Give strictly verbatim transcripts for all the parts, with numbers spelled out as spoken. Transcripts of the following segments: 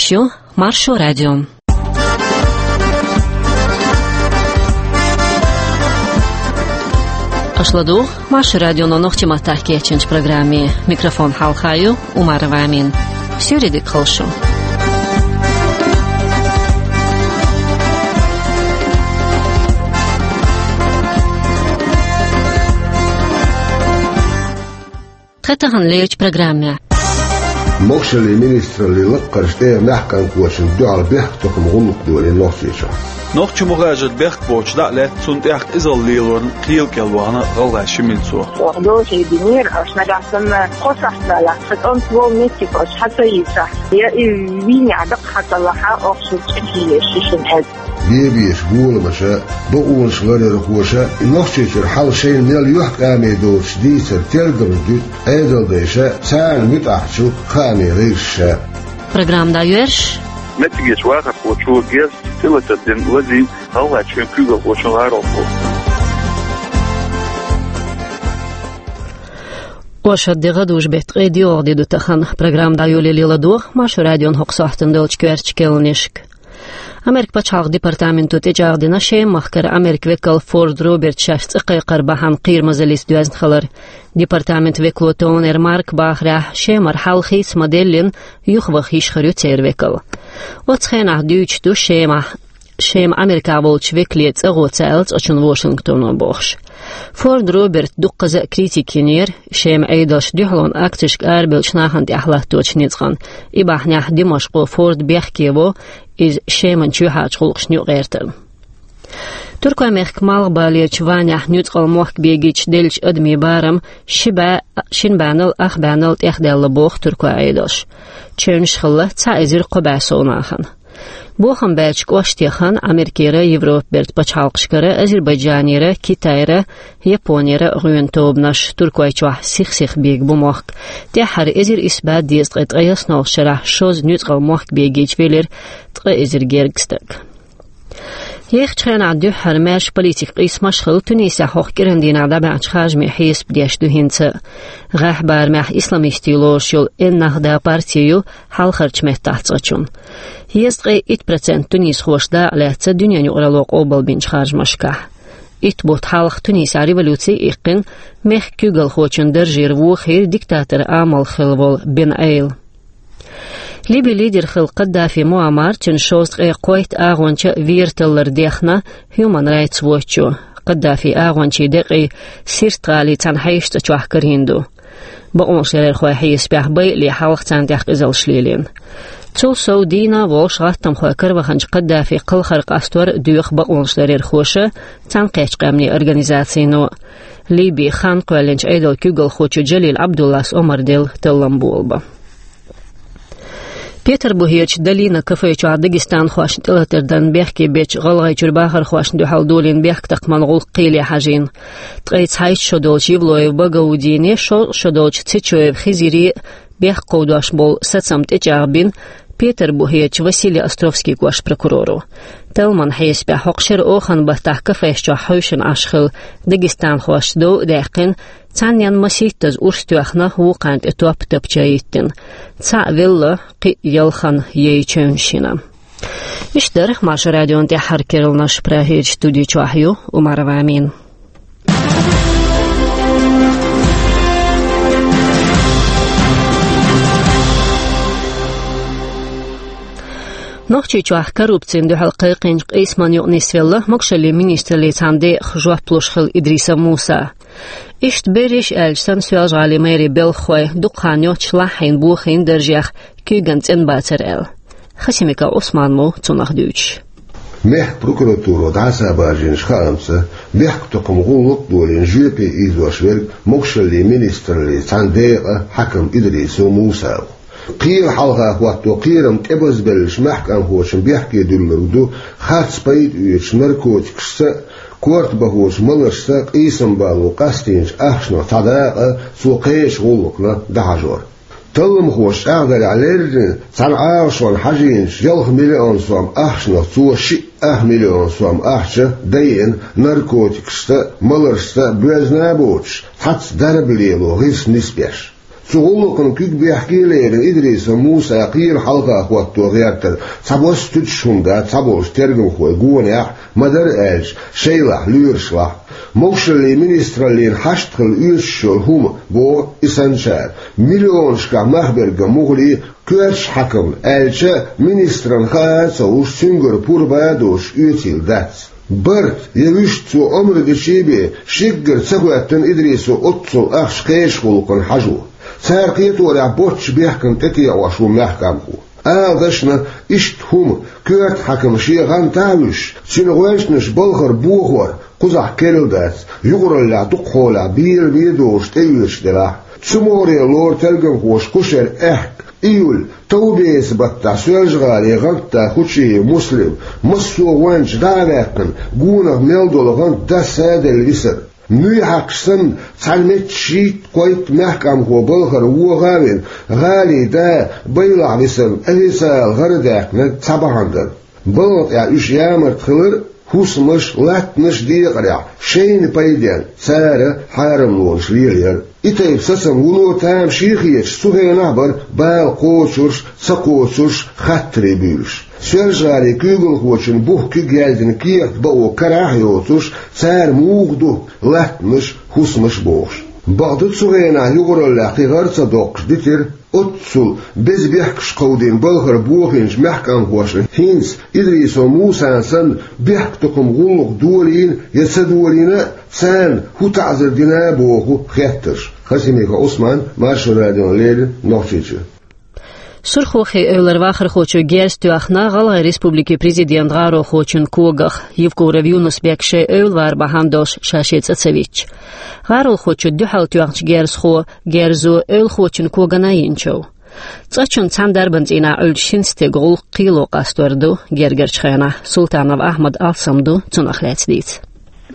Шу Маршо радио. Аша ладугӀу Маршо радионо нохчийн маттахь кечйинчу программе. Микрофон хьалха ю Умарова Амина. Суьйре дика хуьлда шу. Тхан тахана лерчу программехь. Могушаллин министраллин лаккхарчу тӀегӀан маьхкан кочана дуьхьал бехктакхаман гӀуллакх долийна Нохчийчохь. Нохчийн мухажар бехк боцуш дӀа а лаьцна, цунна тӀехь къизалла лелорна кхел кӀел вахана гӀалгӀайн ши миллион. Оха доза хьединера, аша нагахь санна кхо сахьт далахь, сан кӀант волу меттиг аша хьа ца йийцахь, я и вийна дакъа хьа ца лахь, оха шуьга чӀогӀа еш ю шуна аьлла. Бен безаш боламаша, бакъонаш ларъярхоша, Нохчийчуьра хьал шайна мел юьхькӀаме доцуш дийцар тергамаш дуьту Ӏедалдайша, царна муьтӀахь чу хаамийн гӀирсаша. Программа дӀайоьрзуш. Меттигерчу вахархочо герз тӀелатар дина лазийна гӀалгӀайн куьйгалхочун гӀаролхо. Оршот де, гӀадужу беттан ткъе доьалгӀа де ду тахана. Программа дӀайолале ладогӀа Маршо радион хӀокху сохьтана долчу коьртачу кхаьънашка. Америкин пачхьалкхан департаменто тӀечӀагӀдина Шеман-махкара Америкин векал Форд Роберт шаьш цӀа кхайкхар бахьана кхерамазаллица доьзна хилар. Департаментан векало Тонер Марка бахарехь, Шемара хьал хийца ма-деллина, юхаваха йиш хир ю церан векал. Оцу хенахь дуьйцуш ду Шемахь, Шема Америкахь волчу векале цӀа гӀо ца аьлла цкъачунна Вашингтоно бохуш. Форд Роберта дуккхаза а критика йинера, Шеман Ӏедалша дуьхьалонан акцешка арабевллачу нахана тӀехь латточу ницкъана. И бахьанехь Димашкъо Форд бехке во, иза Шеман чоьхьарчу гӀуллакхашна юкъагӀертарна. Туркойн мехкан малхбалерчу Ванехь нуьцкъала мохк бегийча деллачу адамийн барам ши бӀе, шина бӀеннал ах бӀеннал тӀехдаьлла боху туркойн Ӏедалша. Чевнаш хилла цхьа эзар кхо бӀе сов нахана. Бохам баьрчу кӀоштех хан Америкера, Европан бертан пачхьалкхашкара, Азербайджанера, Китайра, Японера гӀоьнан тобанаш. Туркойчохь сих-сиха бегабу мохк. ТӀаьххьара эзар исс бӀе дезткъе ткъайоьсналгӀачу шарахь шозза нуьцкъала мохк бегийча велира ткъа эзар гергга стаг. Ехачу хенахь дуьххьара маьрша политикан къийсамаш хилла Тунисехь хӀокху кӀиран дийнахь дӀабаьхьначу харжамийн хьесап деш ду хӀинца а. ГӀеххьа барамехь исламистийн лоруш йолу Эн-Нахда парти ю хьалхарчу меттехь цкъачунна. Езткъе итт процент тунисхоша дакъа лаьцна дуьненан юкъаралло къобалбинчу харжамашкахь. Итт бутт хьалха Тунисехь революци а иккхина, мехкан куьйгалхочун даржера вохийра диктаторан амал хилла волу Бен Ӏел. Либин лидер хилла Каддафи Муаммар, цуьнан шовзткъе кхойтта агӀонча вер таллар дехна Human Rights Watch-о. Каддафин агӀончийн декъий Сирт-гӀалин цхьана хьешан цӀа чохь карийна ду. Бакъонашларъярхойн хьесапехь, байале хьалха царна тӀехь къизаллаш лелийна. Цул сов дийна а волуш гӀаттамхойн караваханчу Каддафин кхалхар къастор а доьху бакъонашларъярхоша, Цхьаьнакхеттачу Къаьмнийн Организацино. Либин хан кхоьллинчу Ӏедалан куьйгалхочо Джалил Ӏабдуллас омра делла таллам болабан. Петарбухерчу «Долина» кафе чохь дагестанхошна тӀелатар дан бехке бечу ГӀалгӀайчуьра бахархошна дуьхьал долийна бехктакхаман гӀуллакх кхеле хьажийна. Ткъе цхьайтта шо долчу Евлоев Багаудине, шовзткъа шо долчу Цечоев Хизире бехк кховдош болу сацам тӀечӀагӀбина Петарбухерчу Василий Островский кӀоштан прокуроро. Талламан хьесапехь, хӀокху шеран оханан баттахь кафеш чохь хьуьйшина Ӏаш хилла дагестанхошца дов а даьккхина, цхьаннен масийттаза урс тоьхна, вукхарна тӀе топ а тапча йиттина. Цхьаъ велла, кхин а ялхана яйчевнаш йина. Иштта дара Маршо радион тӀаьххьара керланаш. Прагерчу студи чохь ю Умарова Амина. Нохчийчохь коррупцина дуьхьал кхайкхийначу къийсамна юкъа нисвелла могушаллин министраллин цхьана декъах жоп луш хилла Идрисов Муса. Иштта берриш а аьлча санна, Соьлжа-ГӀалин мэрин белхахой дукха хан йоццуш лаххьийна бохийна даржех куьйган цӀенбацар аьлла. Хасимиков Ӏусман ву цунах дуьйцуш. Мехкан прокуратуро дӀасабар жинчу хаамца, бехктакхаман гӀуллакх а долийна жоьпе ийзош верг могушаллин министраллин цхьана декъан хьаькам Идрисов Муса ву. Кхелан хьалха хӀотто кхерам тӀебазбеллачу маьхкамхочун бехке дуьллург ду харц пайда оьцучу наркотикашца а, корта бахочу маларшца а къийсам бало къастийначу ахчанах цхьа дакъа цо кхечу гӀуллакхна дӀахьажор. Талламхоша чӀагӀдарехь, леррина цхьана Ӏалашонна хьажийначу ялх миллион сом ахчанах цо шиъ ах миллион сом ахча дайина наркотикашца а, маларшца а боьзна а боцуш, цхьацца дарба лело гӀирс нисбеш. Цу гӀуллакхана куьг бехке а лерина, Идрисов Муса кхера хьалха хӀотто гӀертар цхьабосса туьтуш хӀума дац цхьаболчу тергамхойн гонехь, ма-дарра аьлча, шайлахь, лоьрашлахь. Могушаллин министраллина хьашт хила оьшуш йолу хӀума, боху и санначара, миллионашкахь мах берг муххале, коьртачу хьаькамна аьлча, министрана хаа а ца луш, цуьнгара пурба а доцуш оьцийла дац. Барт я вуьшта цо омра дичи бен, шеггара ца хӀоьттина Идрисов оццул ахча кхечу гӀуллакхана хьажо. Цара кхеторехь боццачу бехкана тӀетеӀош ву мехкамхо. Ала дашна, иштта хӀума, коьрта хьаькам шен гӀантахь а вуьсуш, цуьнан гӀоьртанаш балхара бохор кхузахь керла дац, юкъараллехь дукхахьолехь беламе а долуш тӀеоьцуш делахь а. Цу могӀаре лору тергамхоша кху шеран аьхка, июль, товбеца баттахь Соьлжа-ГӀалин гӀантда Хучиев Муслим, массо а гӀоьнча дӀа а ваьккхина, гонах мел долу гӀант даса а делла висар. Муьйхьакхаш санна, цхьана метта шийтта-кхойтта мехкамхо балхара вогӀа а вина, гӀалин да байлахь висарна официалан гӀара а даьккхинарг цхьа бахьана дара. Балха тӀехь уьш ямарта хилар а, хӀусамаш, латтанаш а декъарехь, шайна пайденна цара хьарамлонаш лелаяр а. И тайпа сацам вуно тамашийна хеташ цу хенахь а бара бала кхочурш, ца кхочурш хаттарий буьйлуш. Соьлжа-ГӀалин куьйгалхочун бух куьг яздина кехат бакъо карахь а йоцуш, цара муха ду латтанаш, хӀусамаш бохуш. Бакъду, цу хенахь юкъараллехь кхин гӀара ца доккхуш дитира, оццул беза бехкаш кховдийна балхара бохийначу мехкамхошна хӀинца Идрисов Мусана санна бехктакхаман гӀуллакх долийна я ца долийна а, царна хӀун таӀзар дина а боху хеттарш. Хасимиков Ӏусман, Маршо радиона леррина, Нохчийчуьра. Сурхохи-Эвлара вахархочо герз тоьхна ГӀалгӀай Республикин президентан гӀаролхочун когах. Евкуров Юнус-Бек шайн эвла вар бахьана долуш ша шен цӀа ца витча, гӀаролхочун дуьхьал тоьхначу герзахо, герзо эвлахочун когана йинчу. ЦӀа чунна цхьана дарбан цӀийнахь Ӏуьллучу шина стеган гӀуллакх кхело къастор ду гергарчу хенахь. Султанов Ахьмадан алсам ду цунах лаьцна дийца.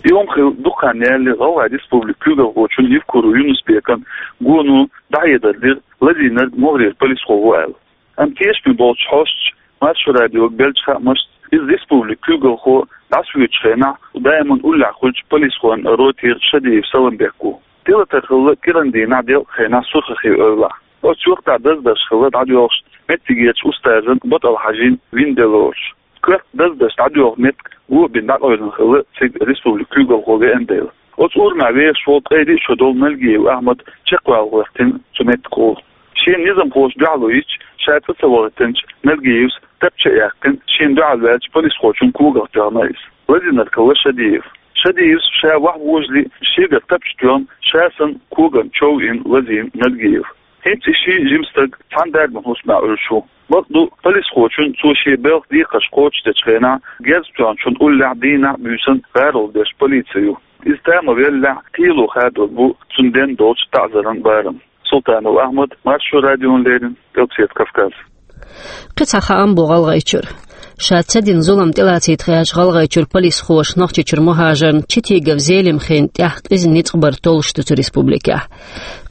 И хӀума хилла дукха хан ялале ГӀалгӀай Республикин куьйгалхочун Евкуров Юнус-Бекан гоно дӀахьедар дира, лазийнарг могӀарера полисхо ву аьлла. Амма тешаме болчу хьосташа Маршо радиога беллачу хаамашца, иза республикан куьйгалхо дӀасавоьдучу хенахь даиман уллехь хуьлучу полисхойн ротера Шадиев Саламбек ву. Тилатар хилла кӀиран дийнахь делкъан хенахь Сурхохи-Эвлахь. Оцу юьртахь даздарш хилла дӀадоьлхуш меттигерчу устазан БатӀал-Хьаьжин вина де лоруш. Коьрта даздарш дӀадоьлху меттиг го а бина дӀакъевлина хилла цига республикан куьйгалхо веана дела. Оцу урамехь вехаш волу ткъе диъ шо долу Нальгиев Ахьмад чекхвала гӀоьртина цу меттигахула. Шена низамхоша дуьхьало йича, ша цӀа ца вахийтинчу Нальгиевс тапча а яьккхина, шена дуьхьал ваьллачу полисхочун когах тоьхна иза. Лазийнарг хилла Шадиев. Шадиевс ша вахьа вожале, шегара тапча тоьхна, ша санна коган чов йина лазийна Нальгиев. ХӀинца и ши жима стаг цхьана дарбан хӀусамехь Ӏуьллуш ву. Бакъду, полисхочун цо шен белхан декхарш кхочушдечу хенахь герз тоьхначунна уллехь дийнахь а буьйсанна гӀаролла деш полици ю. Иза тамавеллехь, кхело хадор бу цунна денна долчу таӀзаран барам. Султанов Ахьмад, Маршо радиона леррина, Къилбаседа Кавказ. Кхин цхьа хаам бу ГӀалгӀайчуьра. Ша ца дина зулам тӀелацийта хьаьжначу ГӀалгӀайчуьра полисхоша Нохчийчуьра мухӀажарна Читигов Зелимхин тӀехь къиза ницкъ бар толлуш ду цу республикехь.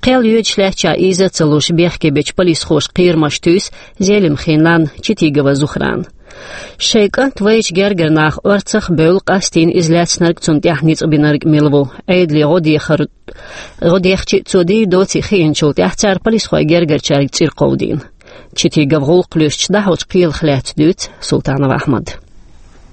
Кхел йоьдуш лаьттачохь ийза а ца луш бехке бечу полисхоша кхерамаш туьйсу Зелимхин нанна Читигова Зухрана. Шайн кӀант вайчу гергара наха орцах а бевлла, къастийна иза лаьцнарг, цунна тӀехь ницкъ бинарг мила ву, Ӏедале гӀо дехар, гӀо дехча а, цо дийр доций хиъначул тӀаьхьа цара полисхойн гергарчаьрга цӀера кховдийна. Читигов гӀуллакх луьстуш дӀахьочу кхелах лаьцна дуьйцу Султанов Ахьмада.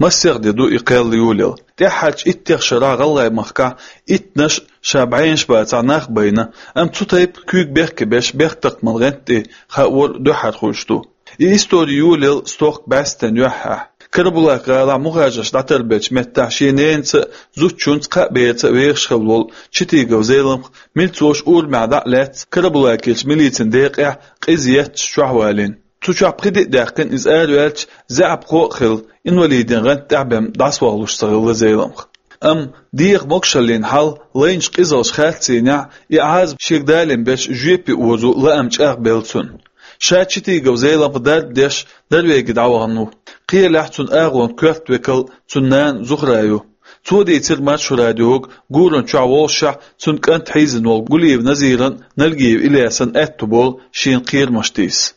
Массех де ду и кхел йолаялла. ТӀаьххьарчу иттех шарахь ГӀалгӀай махкахь иттанаш а, ша бӀенаш а бацахь, нах а байна, амма цу тайпа куьйга бехке беш бехктакхаман гӀант тӀе хаавар дуьххьара хуьлуш ду. И истори йолаялла стохка бӀаьстенан юьххьехь. Карабулак-гӀалахь мухӀажарш дӀатарбеллачу меттехь шен ненаца а, зудчунца а, кхаа берца а вехаш хилла волу Читигов Зелимха милцош урамехь дӀа а лаьцна, Карабулакерчу милицин декъехь къиза етташ чохь валийна. Цу чохь пхи де а даьккхина, иза араваьлча, заьӀапхо а хилла, инвалидийн гӀанта тӀехь бен дӀасавахалуш ца хилла Зелимха. Амма деха могушаллин хьал, лайначу къизаллаш харцийнехь, и Ӏазап шега далийна берш жоьпе озо лаам чӀагӀбелла цуьнан. Ша Читигов Зелимха дарба деш Норвеги дӀавахана ву. Кхелехь цуьнан агӀонан коьрта векал цуьнан нана Зухра ю. Цо дийцира Маршо радиога, гуран чохь воллушехь, цуьнан кӀант хьийзина волу Гулиев Назиран а, Нальгиев Ильясан а аьтту болу шена кхерамаш тийса.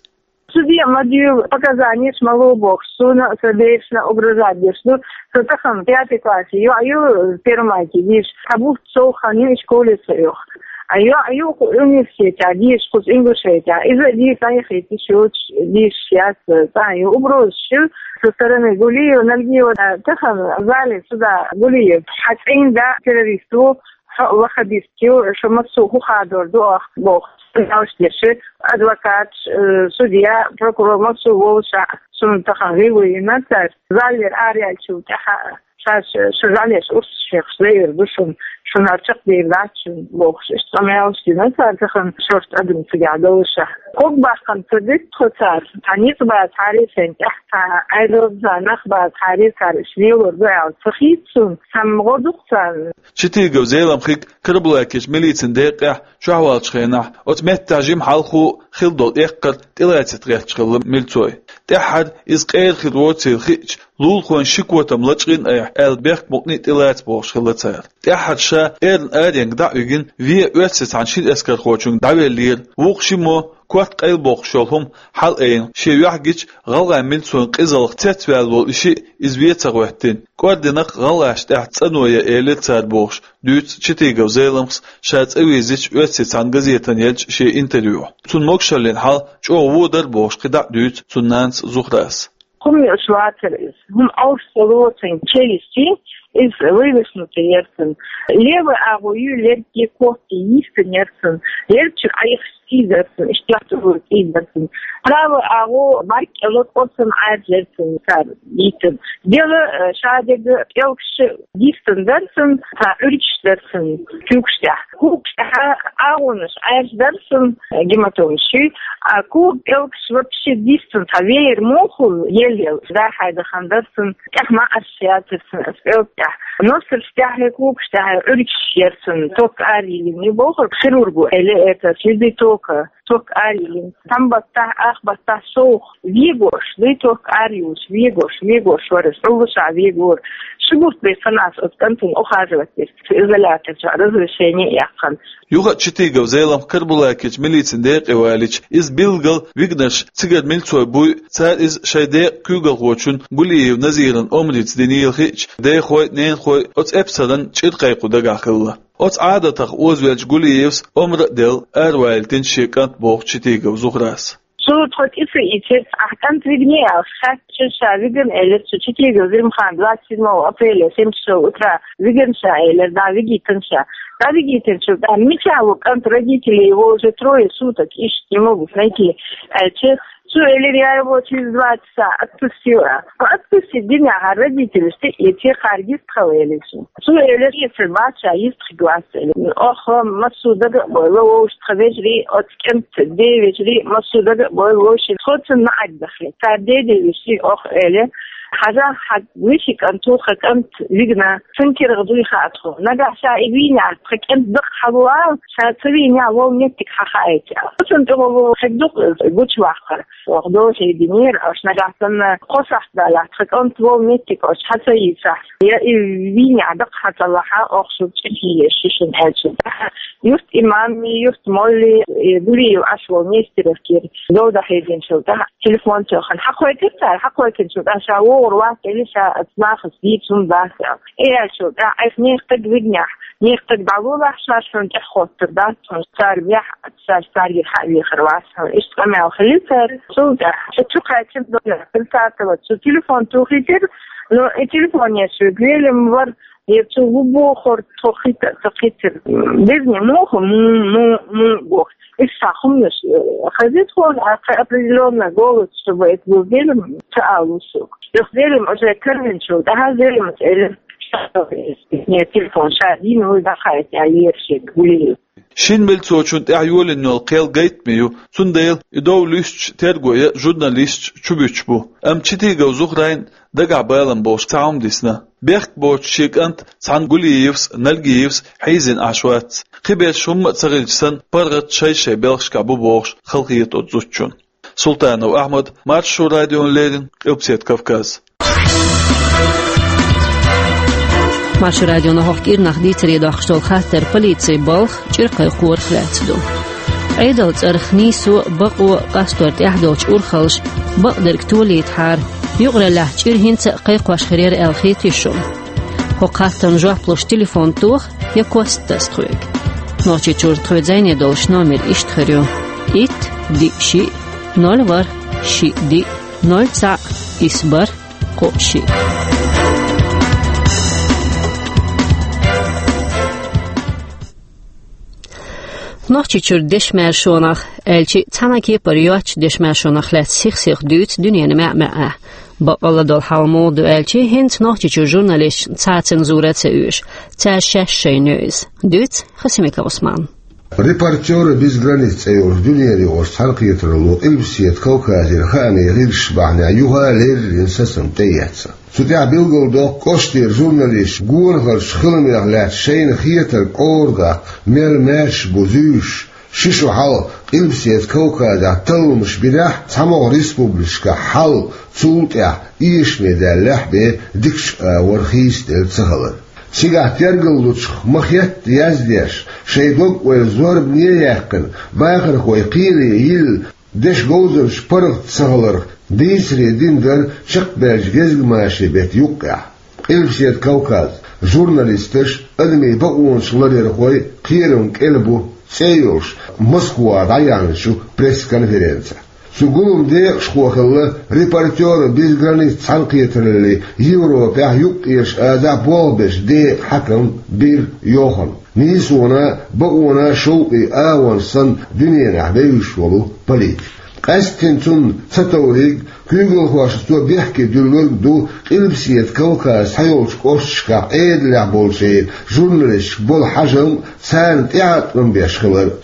Судья ма-дийр показанеш, ма ло бохуш, суна сан берашна угрожать деш ду. Со тахана пятый классе йоӀ ю, первом классе йиша. Цхьа бутт сов хан ю и школе со йоху. А йоӀ юха университетехь дийшача кхуза Ингушетехь. Иза а дийца дӀаяхийта йиш йоцуш дийшаш яц, цӀа а ю. Угрозаш ю со стороны Гулиева, Нальгиева, тахана зале суда Гулиев. Хьан цӀийнда террорист ву, хьо ваххабист ю, шу массо а хӀун хадор ду оха бохуш. Ялш деши, адвокаташ, э, судья, прокурор массо а волуш а, шуна тахана гӀийла йина цара. Заллера араьллачул тӀаьхьа а. Ша, ша, ша жӀалеш урс шехаш лаьар ду шуна, шуна хӀара чекхдер дац шуна бохуш, иштта къамелаш дина цара тахана шортта адам цигахь долуш а. Ког баккхана ца дитта тхо цара, цхьа ницкъ бацахьара сайн тӀехь, цхьа айдаза нах бацахьара цара, иштта лелор ду аьлла ца хийца суна, цхьамма гӀо ду-кх царна. Читигов Зеламхига Карабулакерчу милицин декъехь чохь валлачу хенахь оцу меттехь жима хьалхо хилла долу эккхар тӀелаьцна гӀерташ хилла милцой. ТӀаьххьара иза къера хир воцийла хиъча, лулахойн ши котам лачкъийна айхьа аьлла бехк мукъане а тӀелаца бохуш хилла цара. ТӀаьххьара ша эрна аренга дӀа а вигина, вен оьрсийн цхьана шина эскархочуьнга дӀавеллера, вукху шиммо корта къайлабоккхуш йолу хӀума хьалаайина, шен юьхь гича гӀалгӀайн милцойн къизаллах цецваьлла волу и шиъ иза вен ца гӀоьттина. КӀординах гӀалгӀашна тӀехь цӀано ян элира цара бохуш, дуьйцу Читигов Зеламхас ша цӀа вирзича оьрсийн цхьана газетана еллачу шен интервьюхь. Цунна могушаллин хьал чӀогӀа вон дара бохуш кхин дӀа а дуьйцу цуьнан нанас Зухрас. ХӀума йолуш вацара иза. ХӀума Ӏовшуш ца лоцун челюсти, иза вывихнутый яра цуьнан. Левый агӀо ю, лергге корта йистина яра цуьнан. Лергчуьра Ӏайхаш цӀий дара цуьнан, иштта тӀе цӀий дара цуьнан. Правый агӀо бӀаьрг кӀело кӀорсана Ӏаьржа яра цуьнан цара йийтина. Дела, э, шадерг пӀелгаш йистина дара цуьнан, цхьа Ӏуьргаш дара цуьнан куьйгаш тӀехь. Куьйгаш тӀехь агӀонаш Ӏаьржа дара цуьнан, гематомаш ю, а кога пӀелгаш вообще дистина, цхьа веер мохула елла-елла дӀа-хьа дахана дара цуьнан, тӀехь маӀарш яцара цуьнан оцу пӀелг тӀехь. Носарш тӀехь, когаш тӀехь Ӏуьргаш яра цуьнан, ток арайиллина ю бохура хирурго, эле это следы тока, ток арайиллина. Цхьана баттахь, ах баттахь совгӀа вегош, дуй ток арайолуш, вегош, вегош вара, Ӏуллуш а вегора. Ши бутт бен цхьаннахьа оцу кӀантана ухаживать дира, изолятор чохь разрешение а яьккхина. Юха а Читигов Зеламха Карабулакерчу милицин декъе валийча, иза билггал вигнарш цигара милцой буй, цара иза шайн декъан куьйгалхочун Гулиев Назиран омрица динийла хиъча, дехой а, ненахой а оцу эпсаран чӀир кхайкхо дагахь хилла. Оцу Ӏадатах озавеллачу Гулиевс омра а делла, аравалийтина шен кӀант боху Читигов Зухрас. Цо тхо кӀиса ийцира, ахь кӀант вигний аьлла хаьттича, ша вигна элира цо, Читигов Зеламхана двадцать седьмого апреля в семь часов утра вигна ша элира, да, вигийтина ша. Да, вигийтинчул тӀаьхьа, мичахь ву кӀант, родителей, его уже трое суток ищут, не могут найти, аьлча, цо элира, я его через два часа отпустила. Ну, отпустить динехь, родителей, тӀе а эций, кхара йистхила элира цо. Цо элира, эцар бац ша, йистхилла вац элира. Оха массо а дага а бойла вовшашна, тхан вежарий, оцу кӀентан ден вежарий, массо а дага а бойла вовшашна, тхо цунна маӀарг дахийта. Цара ден ден вежарий оха элира: хьажахь, хьан вешин кӀант ву, хьан кӀант вигна, цуьнан кирах дуй хаьа тхуна. Нагахь ша и вийнехь, тхан кӀант дакъа хьалу ала, ша ца вийнехь, вон меттиг хьан хаийта аьлла. Цунна тӀехула хир ду-кх гучуваккхар. Оха доза хӀийдинера, аша нагахь санна кхо сахьт далахь, тхан кӀант вон меттиг аша хьан ца йийцахь, я и вийнехь дакъа хьан ца лахь, оха шуьга чӀир хьийза еза шу шуна аьлча. Юрт имамий, юрт моллий, и Гулиев Ӏаш волу Нестеровкера дов дӀахьединчул тӀаьхьа телефон тоьхна. Хьакхойкхира цара, хьакхойкхинчул тӀаьхьа ша вогӀур вац элира, ша оцу нахаца дийца хӀума дац аьлла. И аьлчул тӀаьхьа, айхьа нехан стаг вигнехь, нехан стаг дӀалолахь, ша шуна тӀехьахӀоттур дац, хьуна цара вехь, ша царгара хьа а вехар вац хьуна. Иштта къамел хилира церан. Цул тӀаьхьа ша чу кхаьчча, дона Хилсатова, цо телефон тухийтира, но и телефон еш велла ма вара, я цо ву бохура, тхо хӀита а ца кхийтира. Дезне муха, му, му, му боху. Иштта хӀуманаш, э, хезира тхуна, а кхин определённый голос, чтобы это был Зелим, ца алуш. Юха Зелим уже карвинчул тӀаьхьа Зелимас элира, ша, э, телефон ша дийна, вуй дӀахаийта аьлла, ера шега Гулиев. Шина милцочунна тӀехь йолийна йолу кхел гайтаме ю, цундела и дов луьстучу тергойн а, журналисташ а чубуьтуш бу. Амма Читигов Зухрайна дагахь балам болуш цхьа хӀума дисна. Бехк боцуш шен кӀант цхьана Гулиевс а, Нальгиевс а хьийзийна Ӏаш вац. Кхиберш хӀумма а ца хилча санна, паргӀат шай-шайн белхашкахь бу бохуш, халахета оцу зудчунна. Султанов Ахьмад, Маршо радиона леррина, Къилбаседа Кавказ. Маршо радионо хӀокху кӀирнах дийцаре доккхуш долу хаттар полицин балха, чӀир кхайкхорах лаьцна ду. Ӏедалан цӀарах нийсо, бакъо, къастор тӀехь долчу урхаллаша бакъдерг толийтахьара, юкъараллехь чӀир хӀинца а кхайкхош хир яра аьлла хетий шуна? ХӀокху хаттарна жоп луш телефон тоха я кост таса тхоьга. Нохчийчуьра тхоьца зӀене долуш номер иштта хир ю: итт, диъ, шиъ, ноль, ворхӀ, шиъ, диъ, ноль, цхьаъ, исс, бархӀ, кхоъ, шиъ. Нохчийчуьра дешан маршонах, аьлча а, цхьана а кепара йоцчу дешан маршонах лаьцна сих-сиха дуьйцу дуьненан маьӀ-маьӀӀехь. Баккъалла долу хьал муха ду аьлча, хӀинца Нохчийчуьра журналисташна цхьа а цензура а ца оьшу, цаьрша шаьш шайна ю иза. Дуьйцу Хасимиков Ӏусмана. «Репортёры без границ» цӀе йолчу дуьненан юкъарчу цхьаьнакхетаралло Къилбаседа Кавказера хаамийн гӀирсаш бахьанехь юха а леррина сацам тӀеэцна. Цу тӀехь билгалдоккху кӀоштера журналисташа гонахарчу хиламех лаьцна шайна хетарг къора даккха мел маьрша бу зуьйш. Ши шо хьалха Къилбаседа Кавказехь талламаш бинехь, цхьамогӀа республикашкахь хьал цул тӀаьхьа эшаме даьллехь бен дикачу агӀор хийцаделла ца хилар. Цигахь тергаллучух ма-хетта яздеш, шайн дог-ойла зорбане а яьккхина, бахархой кхеле йилла, дешан говзанчаш паргӀат ца хиларх дийцаре дина дара чекхбаьллачу гезгмашин беттан юккъехь. «Къилбаседа Кавказ. Журналисташ, адамийн бакъонаш ларъярхой, кхерам кӀел бу» цӀе йолуш Москвахь дӀаяьхьначу пресс-конференцехь. Цу гуламан декъашхо хилла «Репортёры без границ» цхьаьнакхетараллин Европехь, Юккъерчу Азехь болх беш декъан хьаькам Бир Йохан. Нийсонан а, бакъонан а шовкъе агӀонаш санна дуьненахь вевзаш волу политик. Къаьсттина цунна ца товриг, куьйгалхошна цо бехке дуьллург ду Къилбаседа Кавказан цхьайолчу кӀошташкахь Ӏедалехь болчеран журналисташка болу хьажам а, царна тӀеӀаткъам беш хилар а.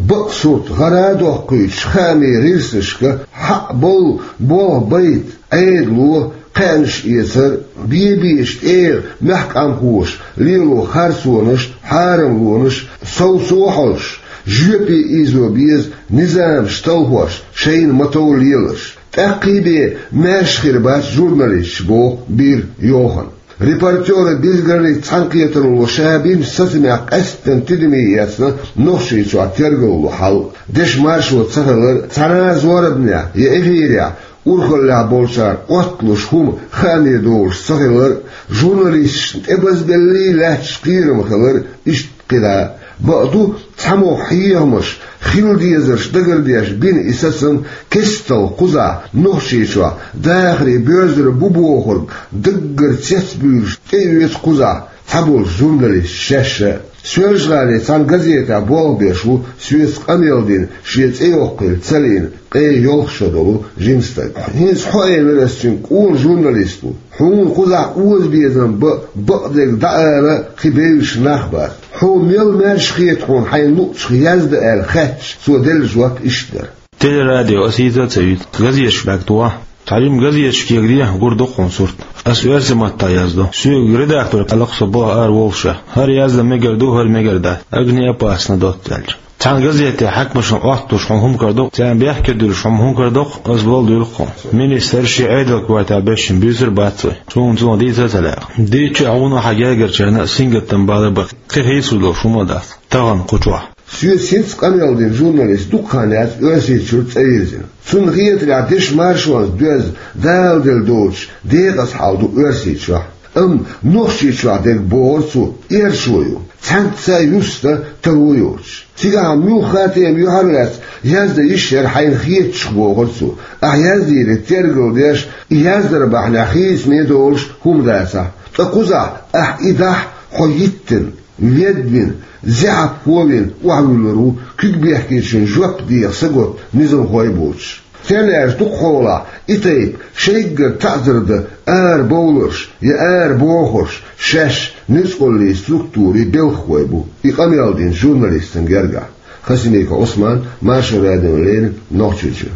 Бакъ сурт гӀара а доккхуьйтуш, хаамийн гӀирсашка хьакъ болу болх байта Ӏедало кхаьънаш эцар а, бен-бен тӀера мехкан къамелхоша лело харцонаш а, хьарамлонаш а, совцо а хьожуш, жоьпе ийзо беза низамаш талхош, шайна ма-тов леларш. ТӀаккхий бен маьрша хир бац журналисташ, боху Бир Йохан. «Репортёры без границ» цхьаьнакхетаралло ша бинчу сацамех къаьсттина тидаме эцна Нохчийчохь тергалло хьал. Дешан маршо ца хилар, цхьана а зорбанехь я эфирехь урхаллехь болчара Ӏотталуш хӀума хааме долуш ца хилар, журналисташна тӀебазбеллий лаьтташ кхерам хилар, иштта кхидӀа а. Бакъду, цхьамогӀа хьехамаш, хила дезарш дагардеш бина и сацам кестта кхузахь Нохчийчохь дахарий боьрзур бу бохург даггара цецбуьйлуш тӀеоьцу кхузахь цхьаболчу журналисташа шаьш а. Соьлжа-ГӀалин цхьана газетехь болх беш ву соьца къамел дина, шен цӀе йоккхийла ца лиъна, ткъе йолх шо долу жима стаг. ХӀинца хьо элира ас цуьнга, къона журналист ву. Хьуна кхузахь озабезам бан, бакъдерг дӀаала кхин бевзаш нах бац. Хьо мел маьрша хета хьуна хьайна луъучух яздан аьлла хаьттича, цо делла жоп иштта дара. Телерадио ас йийца а ца йуьйцу, газеташ бӀаьрг тухахь. Цхьа жима газеташ кегий, гур ду-кх хьуна сурт. Ас оьрсийн маттахь яздо. Соьга редактор аьлла-кх со болх ара воллушехь. ХӀара яздан мегар ду, хӀара мегар дац. Огнеопасно доцца аьлча. Цхьана газетехь хьаькамашна Ӏотталуш хьуна хӀума карадо-кх, царна бехке дуьллуш хьуна хӀума карадо-кх, ас болу дуьйла-кх хьуна. Министр шен Ӏедалан коьртехь бешшина буьйцур бац вай. Суна цунах дийца а ца лаьа. Дийцича а хьуна хьан гергарчарна а сингаттам бала бан, кхин хийцалур долуш хӀума а дац. Тахана кху чохь. Соьца хӀинцца къамел дина журналист дукха хан яц Оьрсийчуьра цӀа вирзина. Цунна хетарехь, дешан маршонца доьзна, Дала делла доцуш, декъаза хьал ду Оьрсийчохь. Амма Нохчийчохь дерг, бохура цо, эрчо ю, цхьаьнцца а юста таро йоцуш. Цигахь муьлхха а тема юьхьарлаьцна яздан йиш яра хьайна хетачух, бохура цо. Ахь яздийриг тергалдеш, и яздар бахьанехь хийцаме долуш хӀума дацахь, ткъа кхузахь ахь и дахь, хьо йиттина, ведвина, зехьапхо а вина охьавуьллур ву, куьг бехкечун жоп деха саготта низамхой а боцуш. Церан аьрца дукхахьолахь и тайпа шайггара таӀзар дан арабовларш я арабохурш шаьш ницкъаллийн структурийн белхахой бу, и къамел дина журналистан гергахь. Хасимиков Ӏусман, Маршо радиона леррина, Нохчийчуьра.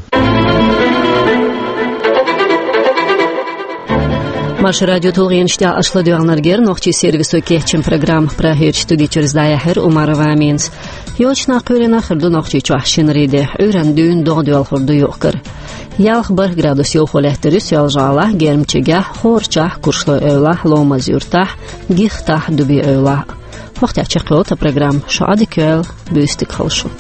Маршо радион тулгӀенаш тӀехь аша ладоьгӀнарг яра нохчийн сервисо кечйина программа. Прагерчу студи чуьра иза дӀаяьхьира Умарова Аминас. Йочу нах кхоьлина хир ду Нохчийчохь шинарин де, Ӏуьйранна дуьйна догӀа доьлхур ду юкъ-кара. Ялх-бархӀ градус йовхо лаьттар ю Соьлжа-ГӀалахь, Гермчигехь, ХӀорачохь, Куршлой эвлахь, Ломаз-Юьртахь, Гихтахь, Дуби-эвлахь. ХӀокху тӀехь чекхйолу тхан программа. Шу Ӏадика йойла, буьйса дика хуьлда шун.